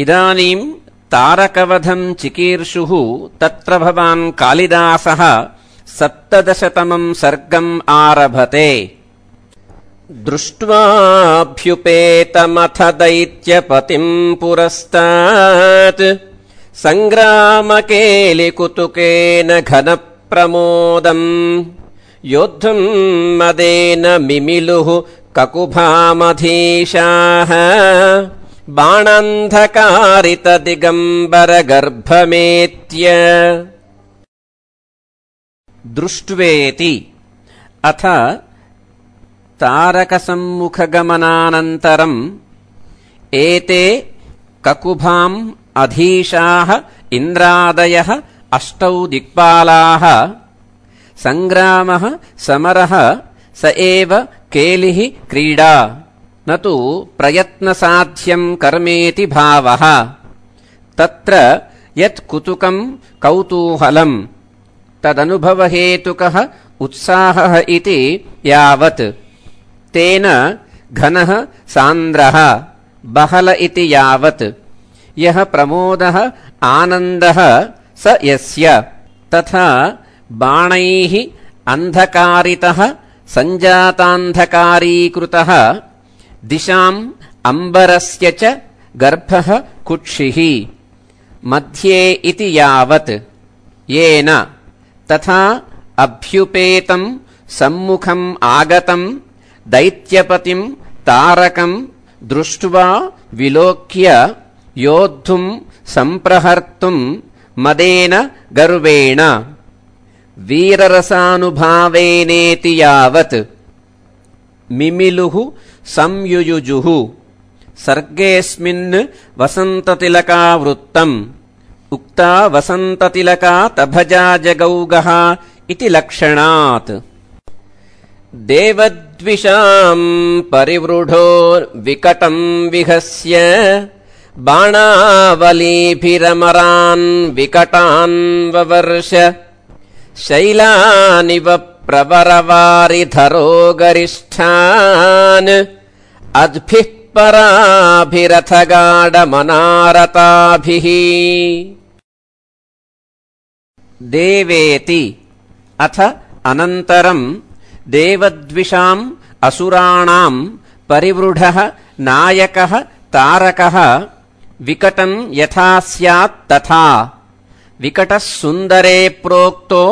इदानीं तारकवधं चिकीर्षुः तत्र भवान् कालिदासः 17तमं सर्गम् आरभते। दृष्ट्वाभ्युपेतमथ दैत्यपतिं पुरस्तात् सङ्ग्रामकेलिकुतुकेन घनप्रमोदम् योद्धुं मदेन मिमिलुः ककुभामधीशाः बाणान्धकारितदिगम्बरगर्भमेत्य। दृष्ट्वेति अथ तारकसम्मुखगमनानन्तरम् एते ककुभाम् अधीशाः इन्द्रादयः 8 दिक्पालाः। सङ्ग्रामः समरः स एव केलिः क्रीडा न तु प्रयत्नसाध्यम् कर्मेति भावः। तत्र यत् कुतुकम् कौतूहलम् तदनुभवहेतुकः उत्साहः इति यावत् तेन घनः सान्द्रः बहल इति यावत् यः प्रमोदः आनन्दः स यस्य तथा बाणैः अन्धकारितः सञ्जातान्धकारीकृतः दिशाम् अम्बरस्य च गर्भः कुक्षिः मध्ये इति यावत् येन तथा अभ्युपेतम् सम्मुखम् आगतम् दैत्यपतिम् तारकम् दृष्ट्वा विलोक्य योद्धुम् सम्प्रहर्तुम् मदेन गर्वेण वीररसानुभावेनेति यावत् मिमिलुः संयुयुजुः। सर्गेऽस्मिन् वसन्ततिलकावृत्तम् उक्ता वसन्ततिलका तभजा जगौगः इति लक्षणात्। देवद्विषाम् परिवृढो विकटम् विहस्य बाणावलीभिरमरान् विकटान् ववर्ष शैलानिव प्रवरवारिधरो गरिष्ठान् अद्भिः पराभिरथगाढमनारताभिः। देवेति अथ अनन्तरम् देवद्विषाम् असुराणाम् परिवृढः नायकः तारकः विकटम् यथा स्यात् तथा विकटः सुन्दरे प्रोक्तो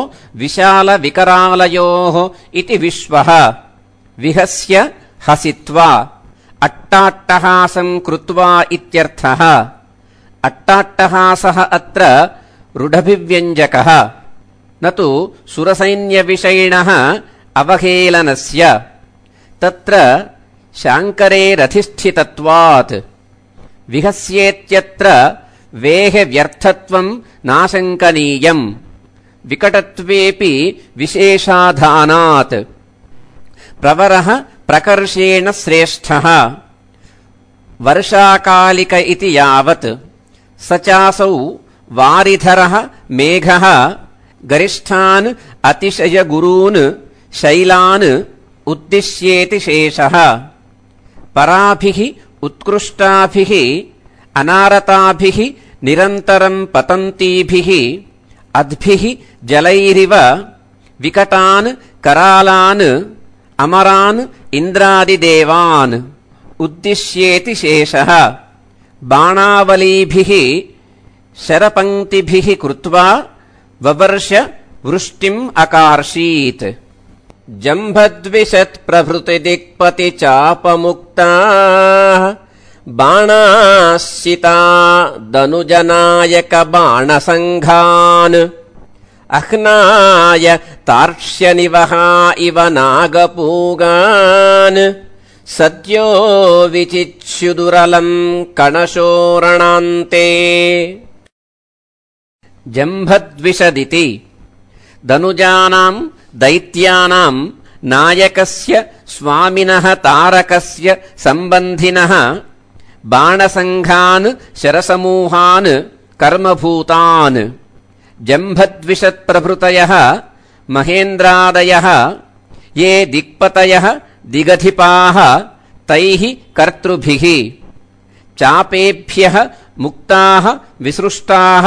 विशालविकरालयोः इति विश्वः विहस्य हसित्वा अट्टाट्टहासम् कृत्वा इत्यर्थः। अट्टाट्टहासः अत्र रूढभिव्यञ्जकः न तु सुरसैन्यविषयिणः अवहेलनस्य। तत्र शाङ्करेरधिष्ठितत्वात् विहस्येत्यत्र वेहव्यर्थत्वम् नाशङ्कनीयम् विकटत्वेऽपि विशेषाधानात्। प्रवरः प्रकर्षेण श्रेष्ठः वर्षाकालिक इति यावत् स चासौ वारिधरः मेघः गरिष्ठान् अतिशयगुरून् शैलान् उद्दिश्येति शेषः। पराभिः उत्कृष्टाभिः अनारताभिः निरन्तरम् पतन्तीभिः अद्भिः जलैरिव विकटान् करालान् अमरान् इन्द्रादिदेवान् उद्दिश्येति शेषः। बाणावलीभिः शरपङ्क्तिभिः कृत्वा ववर्ष वृष्टिम् अकार्षीत्। जम्भद्विषत्प्रभृतिदिक्पतिचापमुक्ताः बाणाश्चिता दनुजनायकबाणसङ्घान् अह्नाय तार्क्ष्यनिवहा इव नागपूगान् सद्यो विचिच्युदुरलम् कणशोरणान्ते। जम्भद्विषदिति दनुजानाम् दैत्यानाम् नायकस्य स्वामिनः तारकस्य सम्बन्धिनः बाणसङ्घान् शरसमूहान् कर्मभूतान्। जम्भद्विषत्प्रभृतयः महेन्द्रादयः ये दिक्पतयः दिगधिपाः तैः कर्तृभिः चापेभ्यः मुक्ताः विसृष्टाः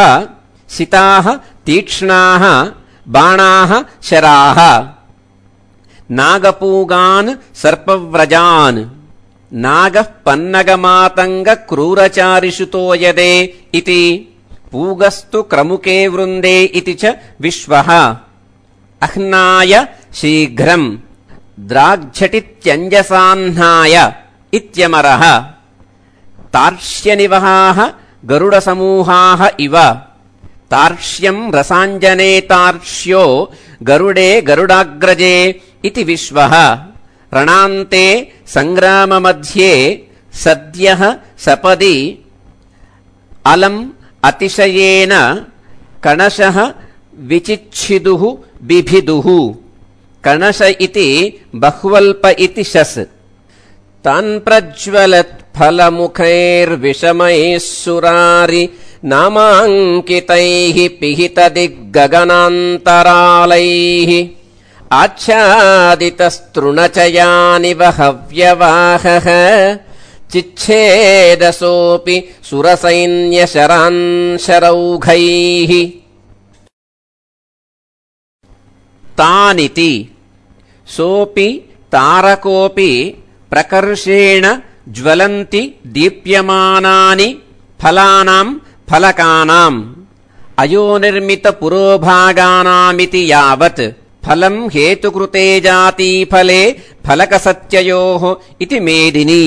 सिताः तीक्ष्णाः बाणाः शराः नागपूगान् सर्पव्रजान् नागः पन्नगमातङ्गक्रूरचारिषुतो यदे इति पूगस्तु क्रमुके वृन्दे इति च विश्वः अह्नाय शीघ्रम् द्राग्झटित्यञ्जसाह्नाय इत्यमरः तार्क्ष्यनिवहाः गरुडसमूहाः इव तार्क्ष्यम् रसाञ्जने तार्क्ष्यो गरुडे गरुडाग्रजे इति विश्वः रणान्ते सङ्ग्राममध्ये सद्यः सपदि अलम् अतिशयेन कणशः विचिच्छिदुः बिभिदुः कणश इति बह्वल्प इति शस् तान् प्रज्वलत् फलमुखैर्विषमैः सुरारि नामाङ्कितैः पिहितदिग्गगनान्तरालैः आच्छादितस्तृणचयानिव हव्यवाहः चिच्छेदसोऽपि सुरसैन्यशरान् शरौघैः तानिति सोऽपि तारकोऽपि प्रकर्षेण ज्वलन्ति दीप्यमानानि फलानाम् फलकानाम् अयोनिर्मितपुरोभागानामिति यावत् फलम् हेतुकृते जातीफले फलकसत्ययोः इति मेदिनी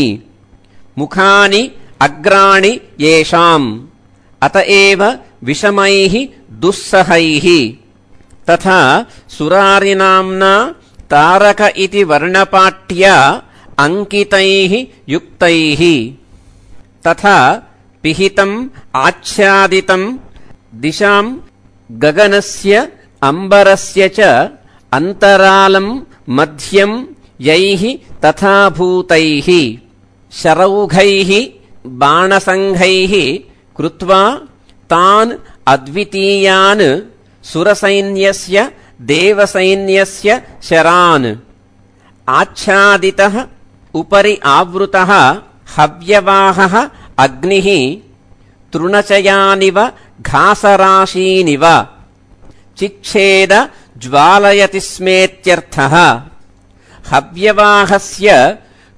मुखानि अग्राणि येषाम् अत एव विषमैः दुस्सहैः तथा सुरारिनाम्ना तारक इति वर्णपाट्या अंकितैः युक्तैः तथा पिहितम् आच्छादितम् दिशाम् गगनस्य अम्बरस्य च अन्तरालम् मध्यम् यैः तथा भूतैः शरौघैः बाणसङ्घैः कृत्वा तान् अद्वितीयान् सुरसैन्यस्य देवसैन्यस्य शरान् आच्छादितः उपरि आवृतः हव्यवाहः अग्निः तृणचयानिव घासराशीनिव चिच्छेद ज्वालयति स्मेत्यर्थः हव्यवाहस्य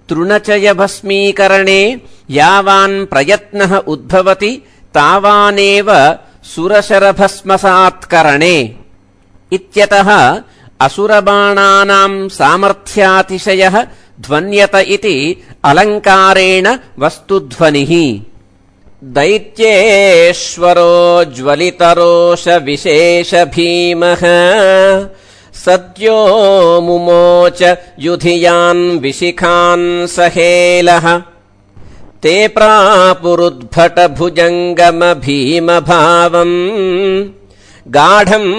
तृणचयभस्मीकरणे यावान् प्रयत्नः उद्भवति तावानेव सुरशरभस्मसात्करणे इत्यतः असुरबाणानाम् सामर्थ्यातिशयः ध्वन्यत इति अलङ्कारेण वस्तुध्वनिः दैत्येश्वरो ज्वलितरोष विशेष भीमः सद्यो मुमोच युधियान् विशिखान् सहेलः ते प्रापुरुद्भट भुजङ्गम भीमभावम् गाढम्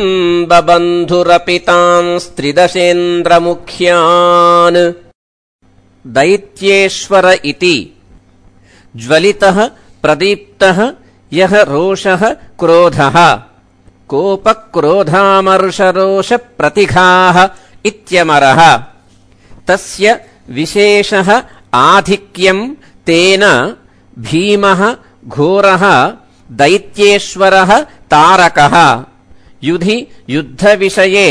बबन्धुरपि तांस्त्रिदशेन्द्रमुख्यान् दैत्येश्वर इति ज्वलितः प्रदीप्तः यः रोषः क्रोधः कोपक्रोधामर्षरोषप्रतिघाः इत्यमरः तस्य विशेषः आधिक्यम् तेन भीमः घोरः दैत्येश्वरः तारकः युधि युद्धविषये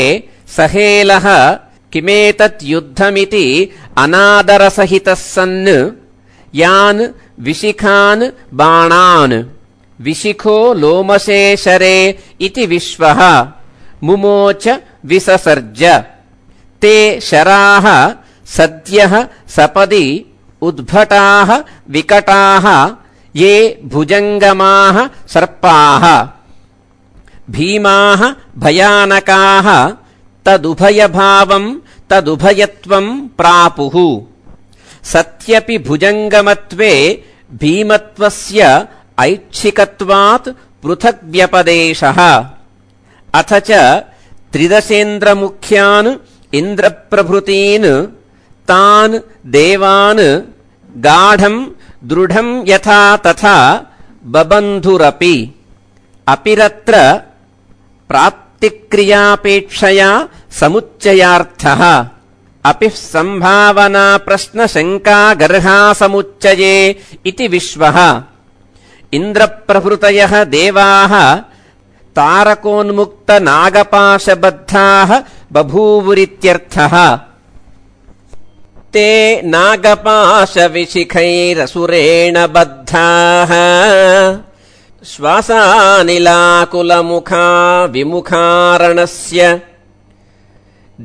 सहेलः किमेतत् युद्धमिति अनादरसहितः सन् यान् विशिखान् बाणान् विशिखो लोमशे शरे इति विश्वः मुमोच विससर्ज ते शराः सद्यः सपदि उद्भटाः विकटाः ये भुजङ्गमाः सर्पाः भीमाः भयानकाः तदुभयभावम् तदुभयत्वम् प्रापुः सत्यपि भुजङ्गमत्वे भीमत्वस्य ऐच्छिकत्वात् पृथग्व्यपदेशः अथ च त्रिदशेन्द्रमुख्यान् इन्द्रप्रभृतीन् तान् देवान् गाढम् दृढम् यथा तथा बबन्धुरपि अपिरत्र प्राप्तिक्रियापेक्षया समुच्चयार्थः अपि सम्भावना प्रश्नशङ्का गर्हा समुच्चये इति विश्वः इन्द्रप्रभृतयः देवाः तारकोन्मुक्तनागपाशबद्धाः बभूवुरित्यर्थः। ते नागपाशविशिखैरसुरेण बद्धाः श्वासानिलाकुलमुखा विमुखारणस्य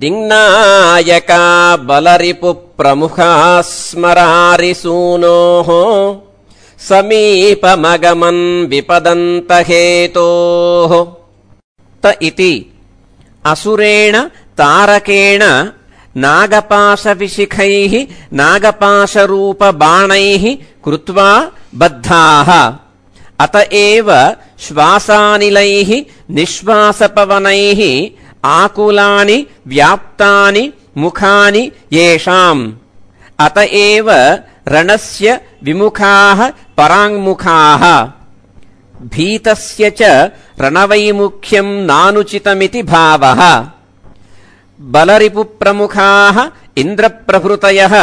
दिङ्नायका बलरिपुप्रमुखाः स्मरारिसूनोः समीपमगमन् विपदन्तहेतोः। त इति असुरेण तारकेण नागपाशविशिखैः नागपाशरूपबाणैः कृत्वा बद्धाः। अत एव श्वासानिलैः निःश्वासपवनैः आकुलानि व्याप्तानि मुखानि येषाम्। अत एव रणस्य विमुखाः पराङ्मुखाः। भीतस्य च रणवैमुख्यम् नानुचितमिति भावः। बलरिपुप्रमुखाः इन्द्रप्रभृतयः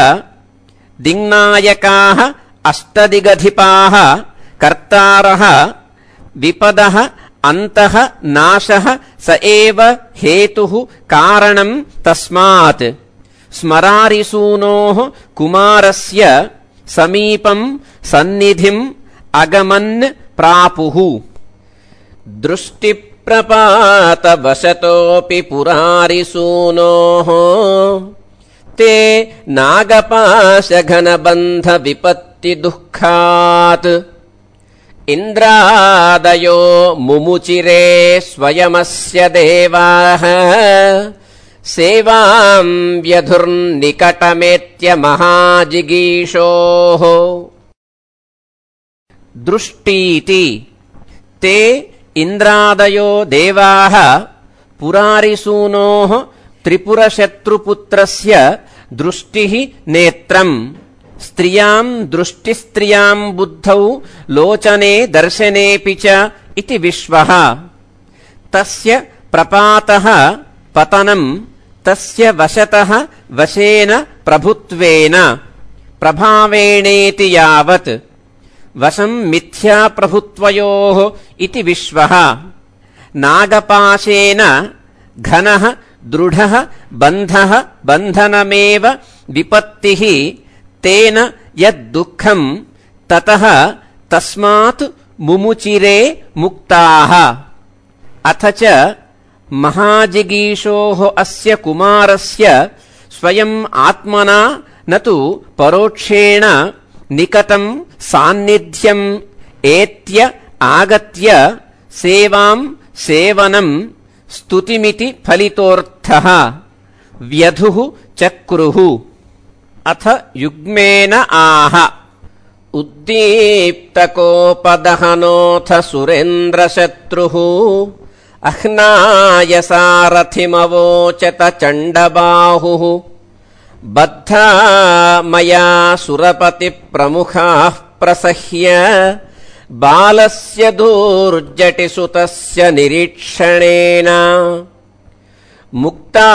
दिङ्नायकाः अष्टदिगधिपाः कर्तारः विपदः अन्तः नाशः स एव हेतुः कारणम् तस्मात् स्मरारिसूनोः कुमारस्य समीपम् सन्निधिम् अगमन् प्रापुः। दृष्टिप्रपातवशतोऽपि पुरारिसूनोः ते नागपाशघनबन्धविपत्तिदुःखात् इन्द्रादयो मुमुचिरे स्वयमस्य देवाः सेवाम् व्यधुर्निकटमेत्य महाजिगीषोः। दृष्टीति ते इन्द्रादयो देवाः पुरारिसूनोः त्रिपुरशत्रुपुत्रस्य दृष्टिः नेत्रम् स्त्रियाम् दृष्टिस्त्रियाम् बुद्धौ लोचने दर्शनेऽपि च इति विश्वः। तस्य प्रपातः पतनम् तस्य वशतः वशेन प्रभुत्वेन प्रभावेणेति यावत् वशम् मिथ्याप्रभुत्वयोः इति विश्वः। नागपाशेन घनः दृढः बन्धः बन्धनमेव विपत्तिः तेन यद्दुःखम् ततः तस्मात् मुमुचिरे मुक्ताः। अथ च महाजिगीषोः अस्य कुमारस्य स्वयम् आत्मना न तु परोक्षेण निकटम् सान्निध्यम् एत्य आगत्य सेवाम् सेवनम् स्तुतिमिति फलितोऽर्थः। व्यधुः चक्रुः। अथ युग्मेन आह उद्दीप्तकोपदहनोऽथ सुरेन्द्रशत्रुः अह्नायसारथिमवोचत चण्डबाहुः बद्धा मया सुरपतिप्रमुखाः प्रसह्य बालस्य धूर्जटिसुतस्य निरीक्षणेन मुक्ता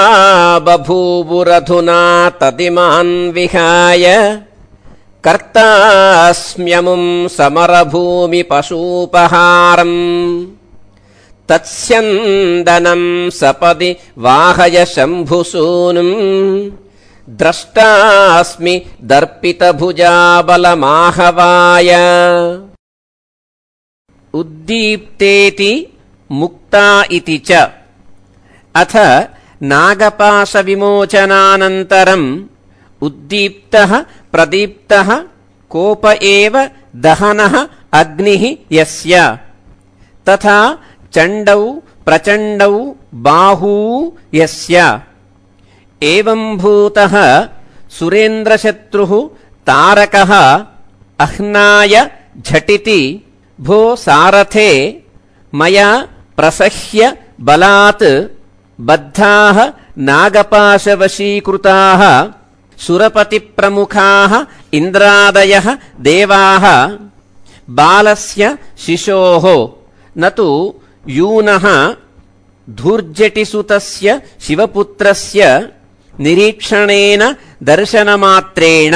बभूवुरधुना तदिमान् विहाय कर्तास्म्यमुम् समरभूमि पशूपहारम् तत्स्यन्दनम् सपदि वाहय शम्भुसूनुम् द्रष्टास्मि दर्पितभुजाबलमाहवाय। उद्दीप्तेति मुक्ता इति च। अथ नागपाशविमोचनानन्तरम् उद्दीप्तः प्रदीप्तः कोप एव दहनः अग्निः यस्य तथा चण्डौ प्रचण्डौ बाहू यस्य। एवम्भूतः सुरेन्द्रशत्रुः तारकः अह्नाय झटिति भो सारथे मया प्रसह्य बलात् बद्धाः नागपाशवशीकृताः सुरपतिप्रमुखाः इन्द्रादयः देवाः बालस्य शिशोः न तु यूनः धूर्जटिसुतस्य शिवपुत्रस्य निरीक्षणेन दर्शनमात्रेण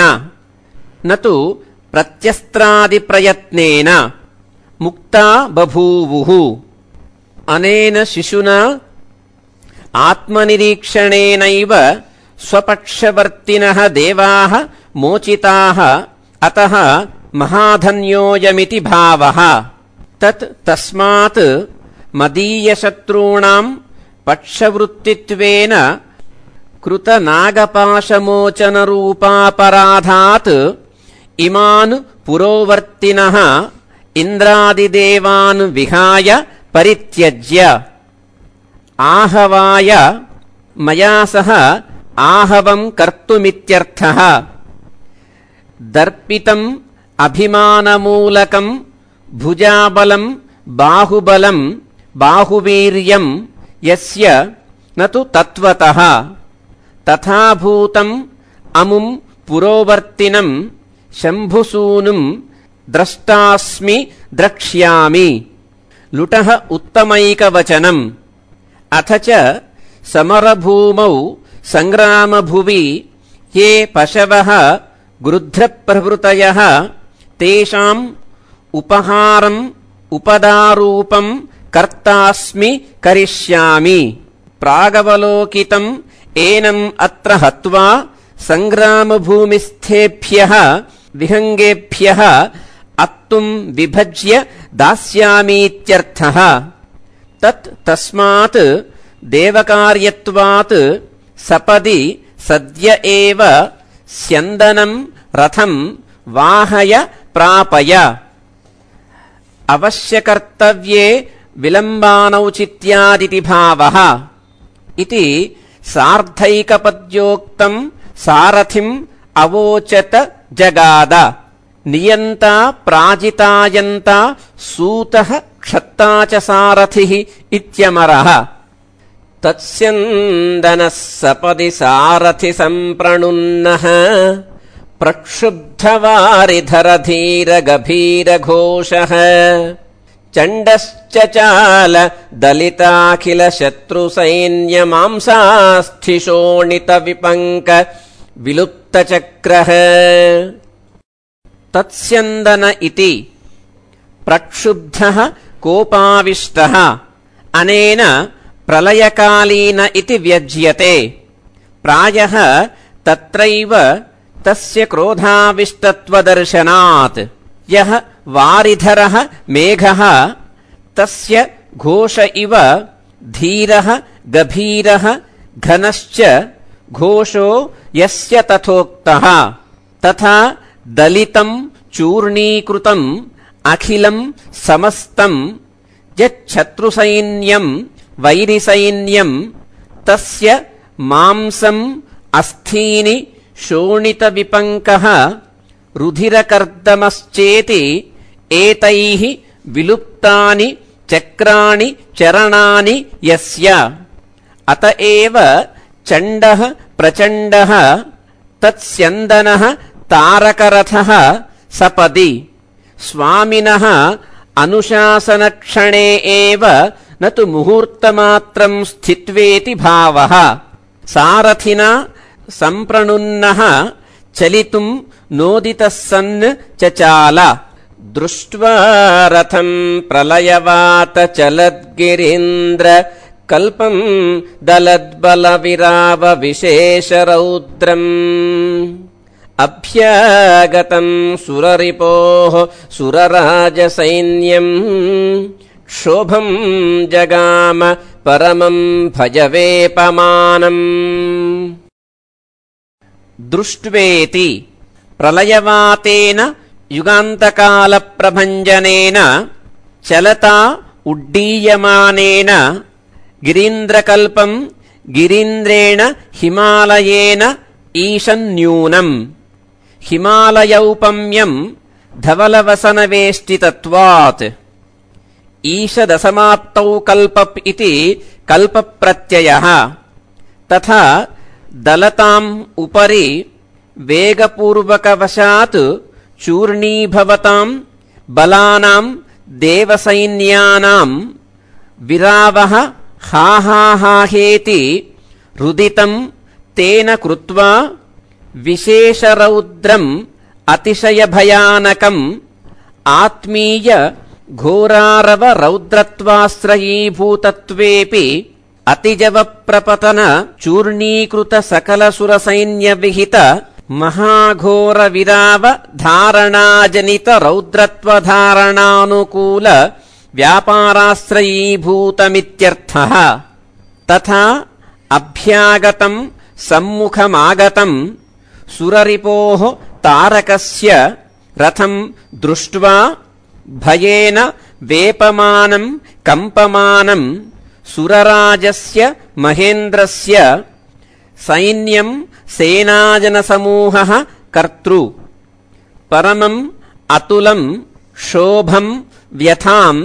न तु प्रत्यस्त्रादिप्रयत्नेन मुक्ता बभूवुः। अनेन शिशुना आत्मनिरीक्षणेनैव स्वपक्षवर्तिनः देवाः मोचिताः, अतः महाधन्योऽयमिति भावः। तस्मात् मदीयशत्रूणाम् पक्षवृत्तित्वेन कृतनागपाशमोचनरूपापराधात् इमान् पुरोवर्तिनः इन्द्रादिदेवान् विहाय परित्यज्य आहवाय मया सह आहवम् कर्तुमित्यर्थः। दर्पितम् अभिमानमूलकम् भुजाबलम् बाहुबलम् बाहुवीर्यम् यस्य न तु तत्त्वतः तथाभूतम् अमुम् पुरोवर्तिनम् शम्भुसूनुम् द्रष्टास्मि द्रक्ष्यामि। लुटः उत्तमैकवचनम्। अथ च समरभूमौ सङ्ग्रामभुवि ये पशवः गृध्रप्रभृतयः तेषाम् उपहारम् उपदारूपम् कर्तास्मि करिष्यामि। प्रागवलोकितम् एनम् अत्र हत्वा सङ्ग्रामभूमिस्थेभ्यः विहङ्गेभ्यः अत्तुम् विभज्य दास्यामीत्यर्थः। तस्मात् देवकार्यत्वात् सपदि सद्य एव स्यन्दनम् रथम् वाहय प्रापय। अवश्यकर्तव्ये विलम्बानौचित्यादिति भावः। इति सार्धैकपद्योक्तम् सारथिम् अवोचत जगाद। नियन्ता प्राजितायन्ता सूतः क्षत्ता च सारथिः इत्यमरः। तत्स्यन्दनः सपदि सारथि सम्प्रणुन्नः प्रक्षुब्धवारिधरधीरगभीरघोषः चण्डश्चचाल दलिताखिलशत्रुसैन्यमांसास्थिशोणितविपङ्क विलुप्तचक्रः। तत्स्यन्दन इति प्रक्षुब्धः कोपाविष्टः अनेन प्रलयकालीन इति व्यज्यते। प्रायः तत्रैव तस्य क्रोधाविष्टत्वदर्शनात्। यः वारिधरः मेघः तस्य घोष इव धीरः गभीरः घनश्च घोषो यस्य तथोक्तः। तथा दलितम् चूर्णीकृतम् अखिलम् समस्तम् यच्छत्रुसैन्यम् वैरिसैन्यम् तस्य मांसम् अस्थीनि शोणितविपङ्कः रुधिरकर्दमश्चेति एतैः विलुप्तानि चक्राणि चरणानि यस्य। अत एव चण्डः प्रचण्डः तत्स्यन्दनः तारकरथः सपदि। स्वामिनः अनुशासनक्षणे एव न तु मुहूर्तमात्रम् स्थित्वेति भावः। सारथिना सम्प्रणुन्नः चलितुम् नोदितः सन् चचाल। दृष्ट्वा रथम् प्रलयवात चलद्गिरीन्द्र कल्पम् दलद्बलविराव विशेषरौद्रम् अभ्यागतम् सुररिपोः सुरराजसैन्यम् क्षोभम् जगाम परमम् भजवेपमानम्। दृष्ट्वेति प्रलयवातेन युगान्तकालप्रभञ्जनेन चलता उड्डीयमानेन गिरीन्द्रकल्पम् गिरीन्द्रेण हिमालयेन ईशन्यूनम्। हिमालयौपम्यम् धवलवसनवेष्टितत्वात्। ईशदसमाप्तौ कल्पप् इति कल्पप्रत्ययः। तथा दलताम् उपरि वेगपूर्वकवशात् चूर्णीभवताम् बलानाम् देवसैन्यानाम् विरावः हाहाहाहेति रुदितम् तेन कृत्वा विशेषरौद्रम् अतिशयभयानकम् आत्मीय घोरारव रौद्रत्वाश्रयीभूतत्वेऽपि अतिजवप्रपतन चूर्णीकृत सकलसुरसैन्यविहित महाघोरविराव धारणाजनित रौद्रत्वधारणानुकूल व्यापाराश्रयीभूतमित्यर्थः। तथा अभ्यागतं सम्मुखमागतं सुररिपोः तारकस्य रथं दृष्ट्वा भयेन वेपमानं कम्पमानं सुरराजस्य महेन्द्रस्य सैन्यं सेनाजनसमूहः कर्तृ परमम् अतुलं शोभं व्यथां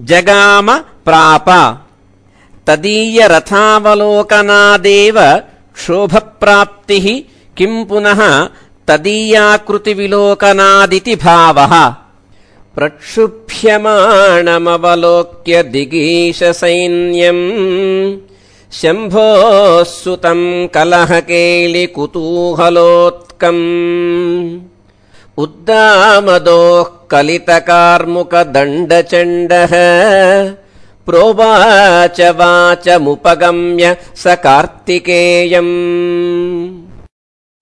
जगाम प्राप। तदीयरथावलोकनादेव क्षोभप्राप्तिः किं पुनः तदीयाकृतिविलोकनादिति भावः। प्रक्षुभ्यमाणमवलोक्य दिगीशसैन्यम् शम्भोः सुतं कलहकेलिकुतूहलोत्कम् उद्दामदोः कलितकार्मुकदण्डचण्डः प्रोवाच वाचमुपगम्य स कार्तिकेयम्।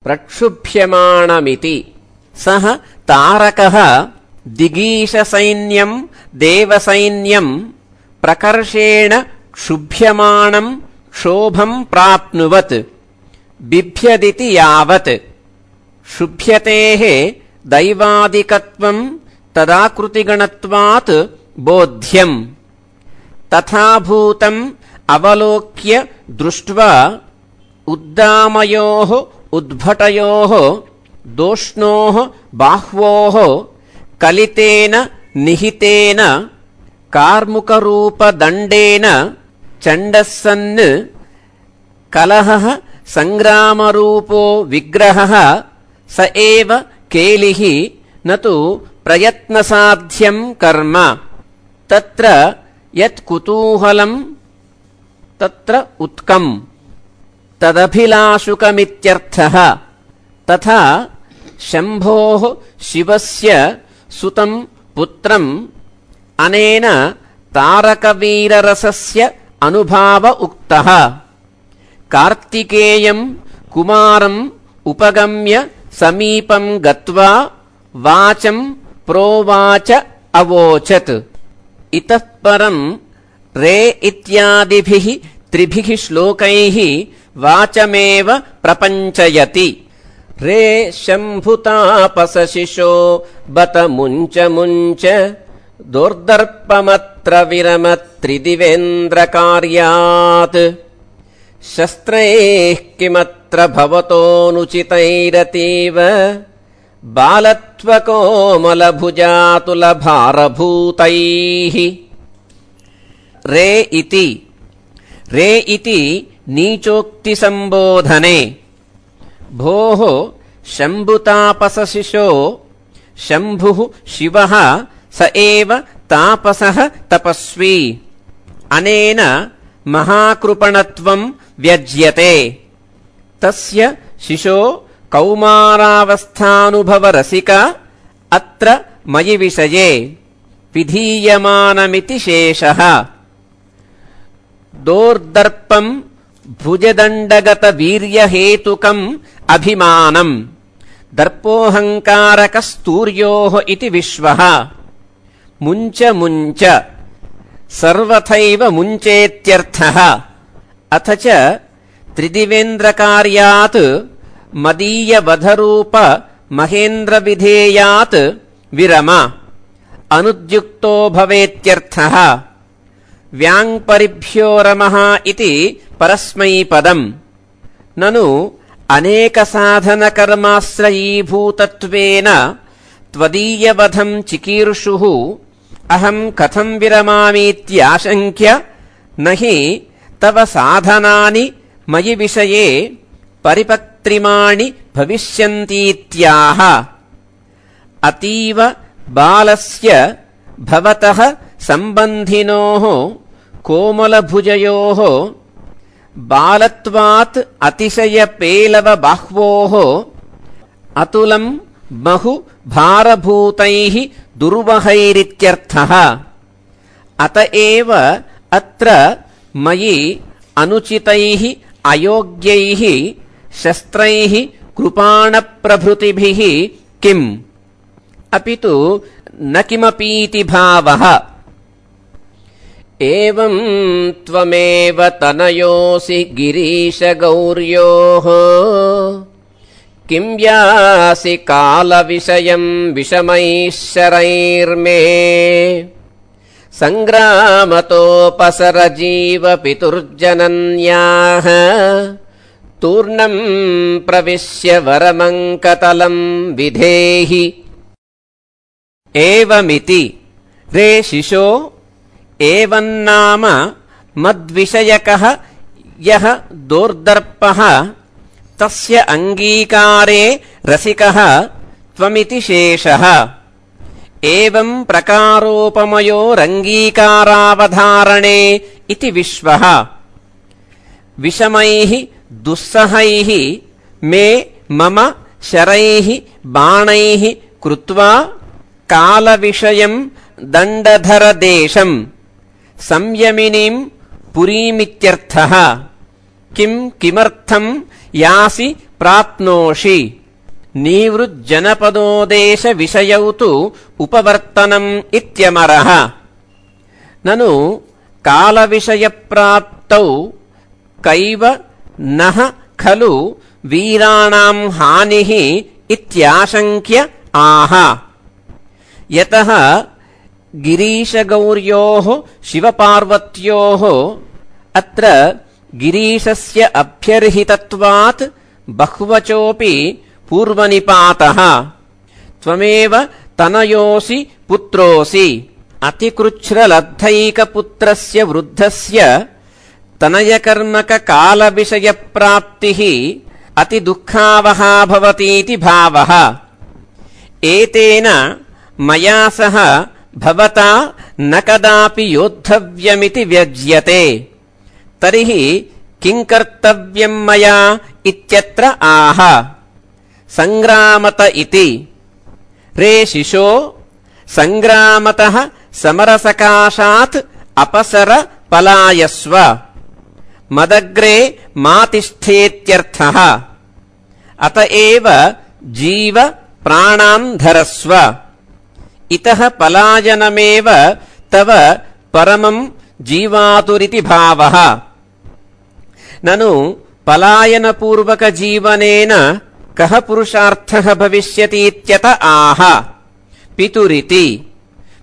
प्रक्षुभ्यमाणमिति सः तारकः दिगीशसैन्यं देवसैन्यं प्रकर्षेण क्षुभ्यमाणं क्षोभं प्राप्नुवत् बिभ्यदिति यावत् क्षुभ्यतेः दैवादिकत्वं तदाकृतिगणत्वात् बोध्यम्। तथा भूतम् अवलोक्य दृष्ट्वा उद्दामयोः उद्भटयोः दोष्णोः बाह्वोः कलितेन निहितेन कार्मुकरूपदण्डेन चण्डस्सन् कलहः सङ्ग्रामरूपो विग्रहः स एव केलिः न तु प्रयत्नसाध्यं कर्म। तत्र यत् कुतूहलं तत्र उत्कम् तदभिलाषुकमित्यर्थः। तथा शम्भोः शिवस्य सुतं पुत्रम् अनेन तारकवीररसस्य अनुभाव उक्तः। कार्तिकेयं कुमारम् उपगम्य समीपं गत्वा वाचं प्रोवाच अवोचत्। इतः परम् रे इत्यादिभिः त्रिभिः श्लोकैः वाचमेव प्रपञ्चयति। रे शम्भुतापसशिशो बत मुञ्च मुञ्च दोर्दर्पमत्र विरमत्रिदिवेन्द्रकार्यात् शस्त्रैः किमत्र भवतोऽनुचितैरतीव बालत्वकोमलभुजातुलभारभूतैः। रे इति नीचोक्तिसम्बोधने भोः शम्भुतापसशिशो शम्भुः शिवः स एव तापसः तपस्वी अनेन महाकृपणत्वं व्यज्यते। तस्य शिशो कौमारावस्थानुभवरसिक अत्र मयि विषये विधीयमानमिति शेषः। दोर्दर्पं भुजदण्डगतवीर्यहेतुकम् अभिमानम् दर्पोऽहङ्कारकस्तूर्योः इति विश्वः। मुञ्च मुञ्च सर्वथैव मुञ्चेत्यर्थः। अथ च त्रिदिवेन्द्रकार्यात् मदीयवधरूप महेन्द्रविधेयात् विरम अनुद्युक्तो भवेत्यर्थः। व्याङ्परिभ्यो रमः इति परस्मैपदम्। ननु अनेकसाधनकर्माश्रयीभूतत्वेन त्वदीयवधं चिकीर्षुः अहं कथं विरमामीत्याशङ्क्य न हि तव साधनानि मयि विषये परिपक्त्रिमाणि भविष्यन्तीत्याह। अतीव बालस्य भवतः सम्बन्धिनोः कोमलभुजयोः बालत्वात् अतिशयपेलवबाह्वोः अतुलं बहु भारभूतैः दुर्वहैरित्यर्थः। अत एव अत्र मयि अनुचितैः अयोग्यैः शस्त्रैः कृपाणप्रभृतिभिः किम् अपि तु न किमपीति भावः। एवं त्वमेव तनयोऽसि गिरीशगौर्योः किं यासि कालविषयं विषमैः शरैर्मे सङ्ग्रामतोपसरजीवपितुर्जनन्याः तूर्णं प्रविश्य वरमङ्कतलं विधेहि। एवमिति रे शिशो एवन्नाम मद्विषयकः यः दोर्दर्पः तस्य अङ्गीकारे रसिकः त्वमिति शेषः। एवं प्रकारोपमयोरङ्गीकारावधारणे इति विश्वः। विषमैः दुस्सहैः मे मम शरैः बाणैः कृत्वा कालविषयं दण्डधरदेशं संयमिनीं पुरीमित्यर्थः। किं किमर्थं यासि प्राप्नोषि नीवृज्जनपदोदेशविषयौ तु उपवर्तनम् इत्यमरः। ननु कालविषयप्राप्तौ कैव नः खलु वीराणां हानिः इत्याशङ्क्य आह। यतः गिरीशगौर्योः शिवपार्वत्योः अत्र गिरीशस्य अभ्यर्हितत्वात् बहुवचोऽपि पूर्वनिपातः। त्वमेव तनयोऽसि पुत्रोऽसि। अतिकृच्छ्रलब्धैकपुत्रस्य वृद्धस्य तनयकर्मककालविषयप्राप्तिः अतिदुःखावहा भवतीति भावः। एतेन मया सह भवता न कदापि योद्धव्यमिति व्यज्यते। तर्हि किं कर्तव्यं मया इत्यत्र आह। सङ्ग्रामत इति। रे शिशो सङ्ग्रामतः समरसकाशात् अपसर पलायस्व। मदग्रे मा तिष्ठेत्यर्थः। अत एव जीव प्राणान् धरस्व। इतः पलायनमेव तव परमं जीवातुरिति भावः। ननु पलायनपूर्वकजीवनेन कः पुरुषार्थः भविष्यतीत्यत आह। पितुरिति।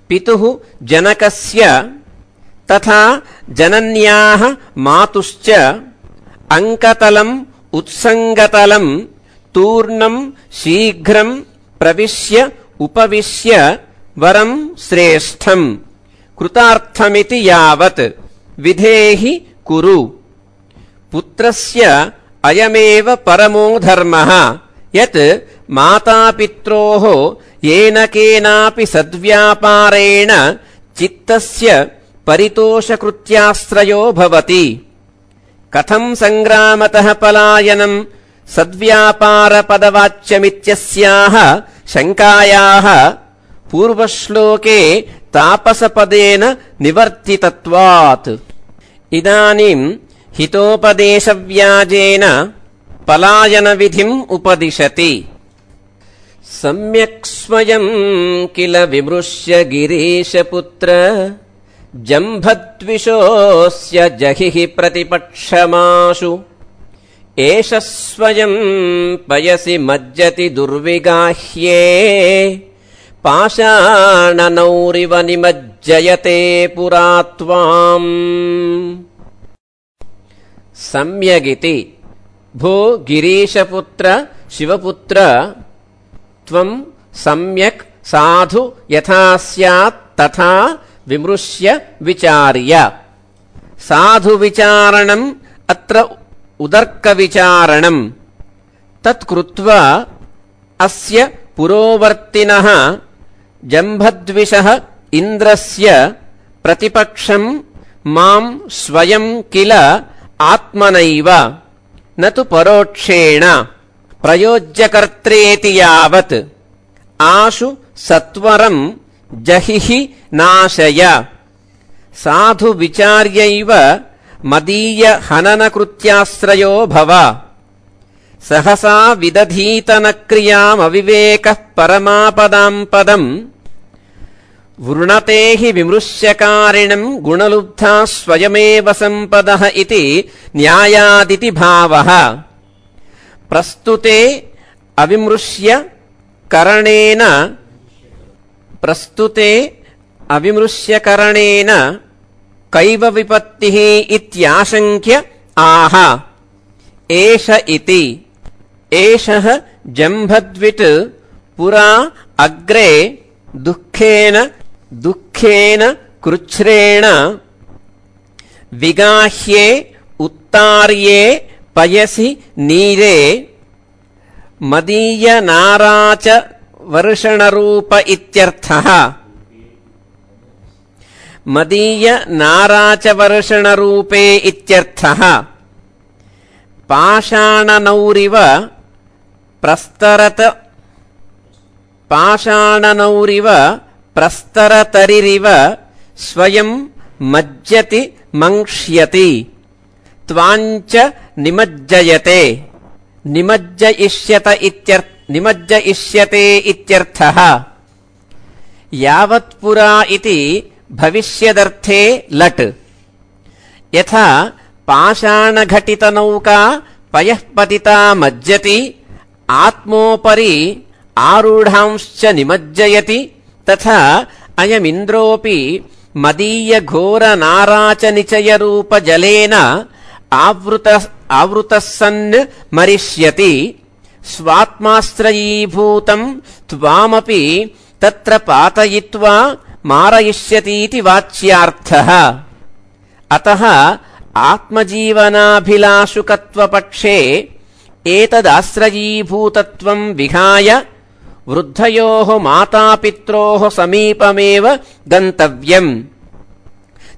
पितुः जनकस्य तथा जनन्याः मातुश्च अङ्कतलम् उत्सङ्गतलम् तूर्णं शीघ्रं प्रविश्य उपविश्य वरं श्रेष्ठम् कृतार्थमिति यावत् विधेहि कुरु। पुत्रस्य अयमेव परमो धर्मः यत् मातापित्रोः येन केनापि सद्व्यापारेण चित्तस्य परितोषकृत्याश्रयो भवति। कथं सङ्ग्रामतः पलायनम् सद्व्यापारपदवाच्यमित्यस्याः शङ्कायाः पूर्वश्लोके तापसपदेन निवर्तितत्वात् इदानीं हितोपदेशव्याजेन पलायनविधिम् उपदिशति। सम्यक् स्वयं किल विमृश्य गिरीशपुत्र जम्भद्विषोऽस्य जहिः प्रतिपक्षमाशु। एष स्वयं पयसि मज्जति दुर्विगाह्ये पाषाणनौरिव निमज्जयते पुरा त्वाम्। सम्यगिति। भो गिरीशपुत्र शिवपुत्र त्वं सम्यक् साधु यथा स्यात् तथा विमृश्य विचार्य। साधुविचारणम् अत्र उदर्कविचारणम्। तत्कृत्वा अस्य पुरोवर्तिनः जम्भद्विषः इन्द्रस्य प्रतिपक्षम् मां स्वयं किल आत्मनैव न तु परोक्षेण प्रयोज्यकर्त्रेति यावत् आशु सत्वरं जहिहि नाशय। साधु विचार्यैव मदीय हननकृत्याश्रयो भव सहसा विदधीतनक्रियामविवेकः परमापदाम् पदम् वृणते हि विमृश्यकारिणम् गुणलुब्धा स्वयमेव सम्पदः इति न्यायादिति भावः प्रस्तुते अविमृश्यकरणेन कैव विपत्तिः इत्याशङ्क्य आह एष इति एषः जम्भद्विट् पुरा अग्रे दुःखेन कृच्छ्रेण विगाह्ये उत्तार्ये पयसि नीरे मदीय नाराच वर्षणरूप इत्यर्थः मदीय नाराच वर्षणरूपे इत्यर्थः पाषाणनौरिव प्रस्तरतरिरिव स्वयं मज्जति मंक्ष्यति त्वाञ्च निमज्जयते निमज्जयिष्यते इत्यर्थः यावत्पुरा इति भविष्यदर्थे लट् यथा पाषाणघटितनौका पयःपतिता मज्जति आत्मोपरि आरूढांश्च निमज्जयति तथा अयमिन्द्रोऽपि मदीय घोर नाराच निचयरूप जलेन आवृतः सन् मरिष्यति स्वात्माश्रयीभूतम् त्वामपि तत्र पातयित्वा मारयिष्यतीति वाच्यार्थः अतः आत्मजीवनाभिलाषुकत्वपक्षे एतदाश्रयीभूतत्वम् विहाय वृद्धयोः मातापित्रोः समीपमेव गन्तव्यम्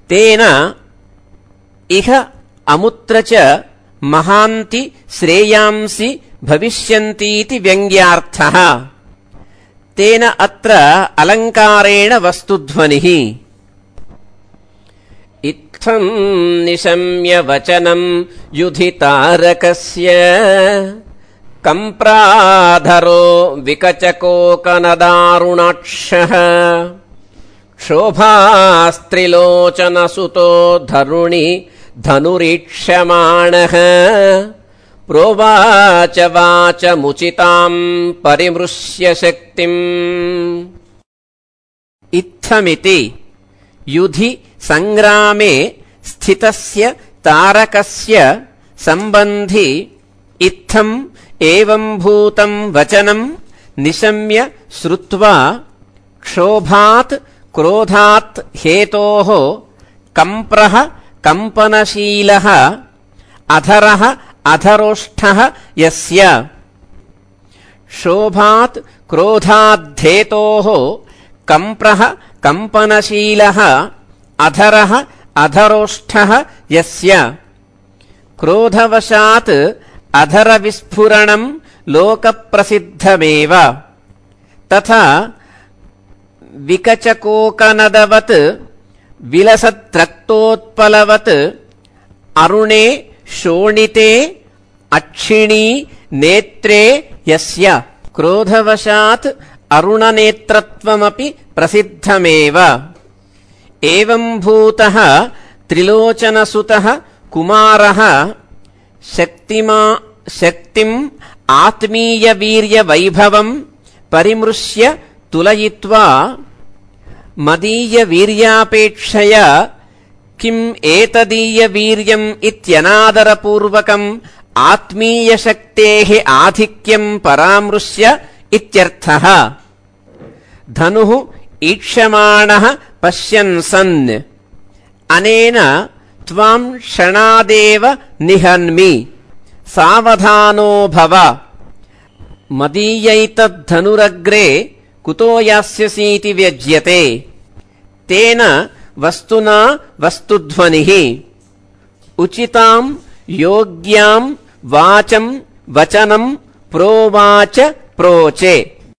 तेन इह अमुत्र च महान्ति श्रेयांसि भविष्यन्तीति व्यङ्ग्यार्थः तेन अत्र अलङ्कारेण वस्तुध्वनिः इत्थम् निशम्य वचनम् युधितारकस्य कम्प्राधरो विकचकोकनदारुणाक्षः क्षोभास्त्रिलोचनसुतो धरुणि धनुरीक्ष्यमाणः प्रोवाच वाचमुचिताम् परिमृश्य शक्तिम् इत्थमिति युधि संग्रामे स्थितस्य तारकस्य सम्बन्धि इत्थम् एवम् भूतम् वचनम् निशम्य श्रुत्वा क्षोभात् क्रोधात् हेतोः कम्प्रः कम्पनशीलः अधरः अधरोष्ठः यस्य क्षोभात् क्रोधाद्धेतोः कम्प्रः कम्पनशीलः अधरः अधरोष्ठः यस्य क्रोधवशात् अधरविस्फुरणम् लोकप्रसिद्धमेव तथा विकचकोकनदवत् विलसद्रक्तोत्पलवत् अरुणे शोणिते अक्षिणी नेत्रे यस्य क्रोधवशात् अरुणनेत्रत्वमपि प्रसिद्धमेव एवम् भूतः त्रिलोचनसुतः कुमारः शक्तिम् आत्मीयवीर्यवैभवम् परिमृश्य तुलयित्वा मदीयवीर्यापेक्षया किम् एतदीयवीर्यम् इत्यनादरपूर्वकम् आत्मीयशक्तेः आधिक्यम् परामृश्य इत्यर्थः धनुः ईक्षमाणः पश्यन् सन् अनेन त्वाम् क्षणादेव निहन्मि सावधानो भव मदीयैतद्धनुरग्रे कुतो यास्यसीति व्यज्यते तेन वस्तुना वस्तुध्वनिः उचिताम् योग्याम् वाचम् वचनम् प्रोवाच प्रोचे